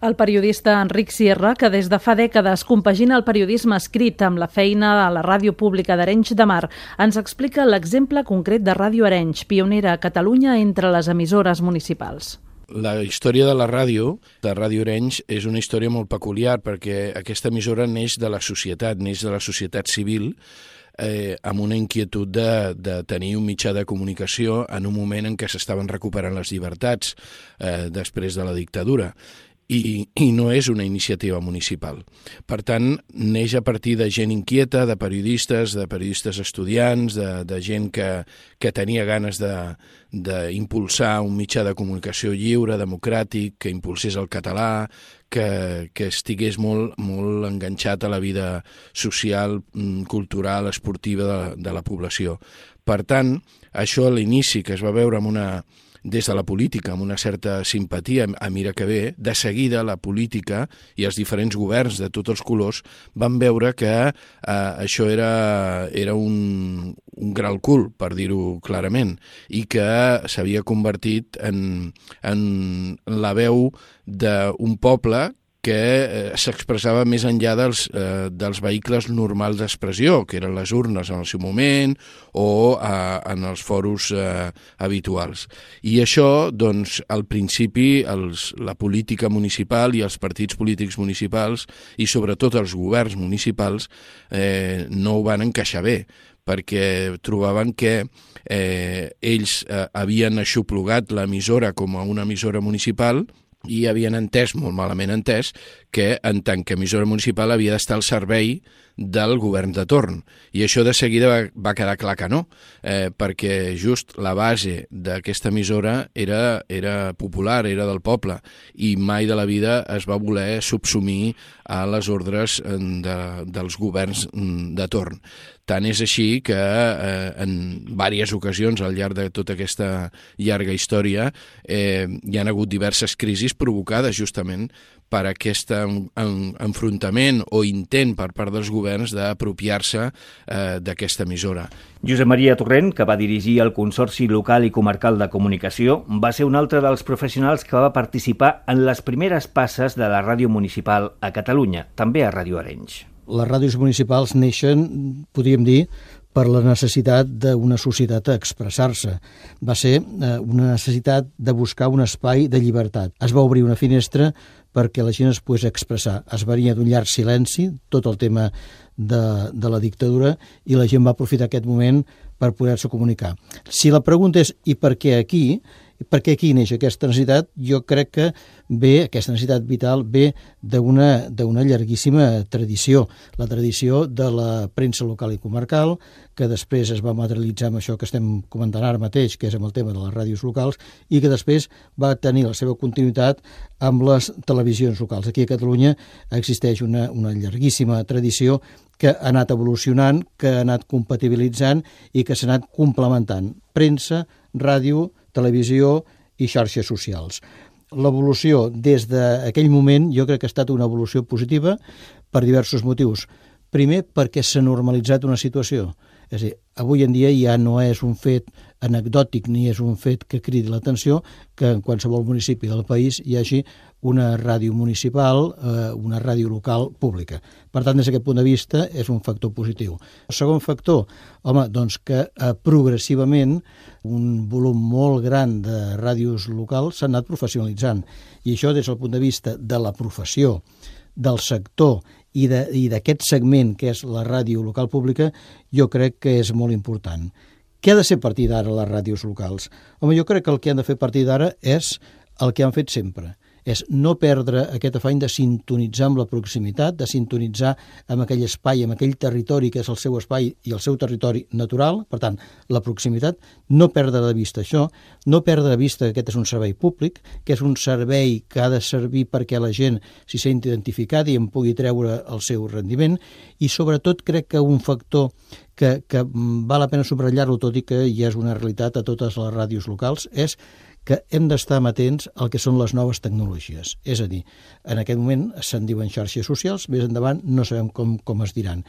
El periodista Enric Sierra, que des de fa dècades compagina el periodisme escrit amb la feina a la ràdio pública d'Arenys de Mar, ens explica l'exemple concret de Ràdio Arenys, pionera a Catalunya entre les emissores municipals. La història de la ràdio, de Ràdio Arenys, és una història molt peculiar perquè aquesta emissora neix de la societat civil, amb una inquietud de tenir un mitjà de comunicació en un moment en què s'estaven recuperant les llibertats després de la dictadura. I no és una iniciativa municipal. Per tant, neix a partir de gent inquieta, de periodistes estudiants, de gent que tenia ganes d'impulsar un mitjà de comunicació lliure, democràtic, que impulsés el català, que estigués molt enganxat a la vida social, cultural, esportiva de la població. Per tant, això a l'inici, que es va veure des de la política, amb una certa simpatia, mira que bé, de seguida la política i els diferents governs de tots els colors van veure que això era un gran cul, per dir-ho clarament, i que s'havia convertit en la veu d'un poble que s'expressava més enllà dels vehicles normals d'expressió, que eren les urnes en el seu moment o en els foros habituals. I això, doncs, al principi, la política municipal i els partits polítics municipals i sobretot els governs municipals no ho van encaixar bé, perquè trobaven que ells havien aixoplugat l'emissora com a una emissora municipal i havien entès, molt malament entès, que en tant que emissora municipal havia d'estar al servei del govern de torn. I això de seguida va quedar clar que no, perquè just la base d'aquesta emissora era popular, era del poble, i mai de la vida es va voler subsumir a les ordres dels governs de torn. Tant és així que en diverses ocasions al llarg de tota aquesta llarga història hi han hagut diverses crisis provocades justament per aquest enfrontament o intent per part dels governs d'apropiar-se d'aquesta emissora. Josep Maria Torrent, que va dirigir el Consorci Local i Comarcal de Comunicació, va ser un altre dels professionals que va participar en les primeres passes de la ràdio municipal a Catalunya, també a Ràdio Arenys. Les ràdios municipals neixen, podríem dir, per la necessitat d'una societat a expressar-se. Va ser una necessitat de buscar un espai de llibertat. Es va obrir una finestra perquè la gent es pogués expressar. Es venia d'un llarg silenci, tot el tema de la dictadura, i la gent va aprofitar aquest moment per poder-se comunicar. Si la pregunta és i per què aquí? Per què aquí neix aquesta necessitat? Jo crec que aquesta necessitat vital ve d'una llarguíssima tradició. La tradició de la premsa local i comarcal, que després es va materialitzar amb això que estem comentant ara mateix, que és amb el tema de les ràdios locals, i que després va tenir la seva continuïtat amb les televisions locals. Aquí a Catalunya existeix una llarguíssima tradició que ha anat evolucionant, que ha anat compatibilitzant i que s'ha anat complementant. Premsa, ràdio, televisió i xarxes socials. L'evolució des d'aquell moment jo crec que ha estat una evolució positiva per diversos motius. Primer, perquè s'ha normalitzat una situació. És a dir, avui en dia ja no és un fet anecdòtic ni és un fet que cridi l'atenció que en qualsevol municipi del país hi hagi una ràdio municipal, una ràdio local pública. Per tant, des d'aquest punt de vista, és un factor positiu. El segon factor, doncs que progressivament un volum molt gran de ràdios locals s'ha anat professionalitzant. I això des del punt de vista de la professió, del sector i d'aquest segment que és la ràdio local pública, jo crec que és molt important. Què ha de ser a partir d'ara les ràdios locals? Jo crec que el que han de fer a partir d'ara és el que han fet sempre. És no perdre aquest afany de sintonitzar amb la proximitat, de sintonitzar amb aquell espai, amb aquell territori que és el seu espai i el seu territori natural, per tant, la proximitat, no perdre de vista això, no perdre de vista que aquest és un servei públic, que és un servei que ha de servir perquè la gent s'hi senti identificada i en pugui treure el seu rendiment, i sobretot crec que un factor que val la pena subratllar-lo, tot i que ja és una realitat a totes les ràdios locals, és que hem d'estar amatents al que són les noves tecnologies. És a dir, en aquest moment se'n diuen xarxes socials, més endavant no sabem com es diran.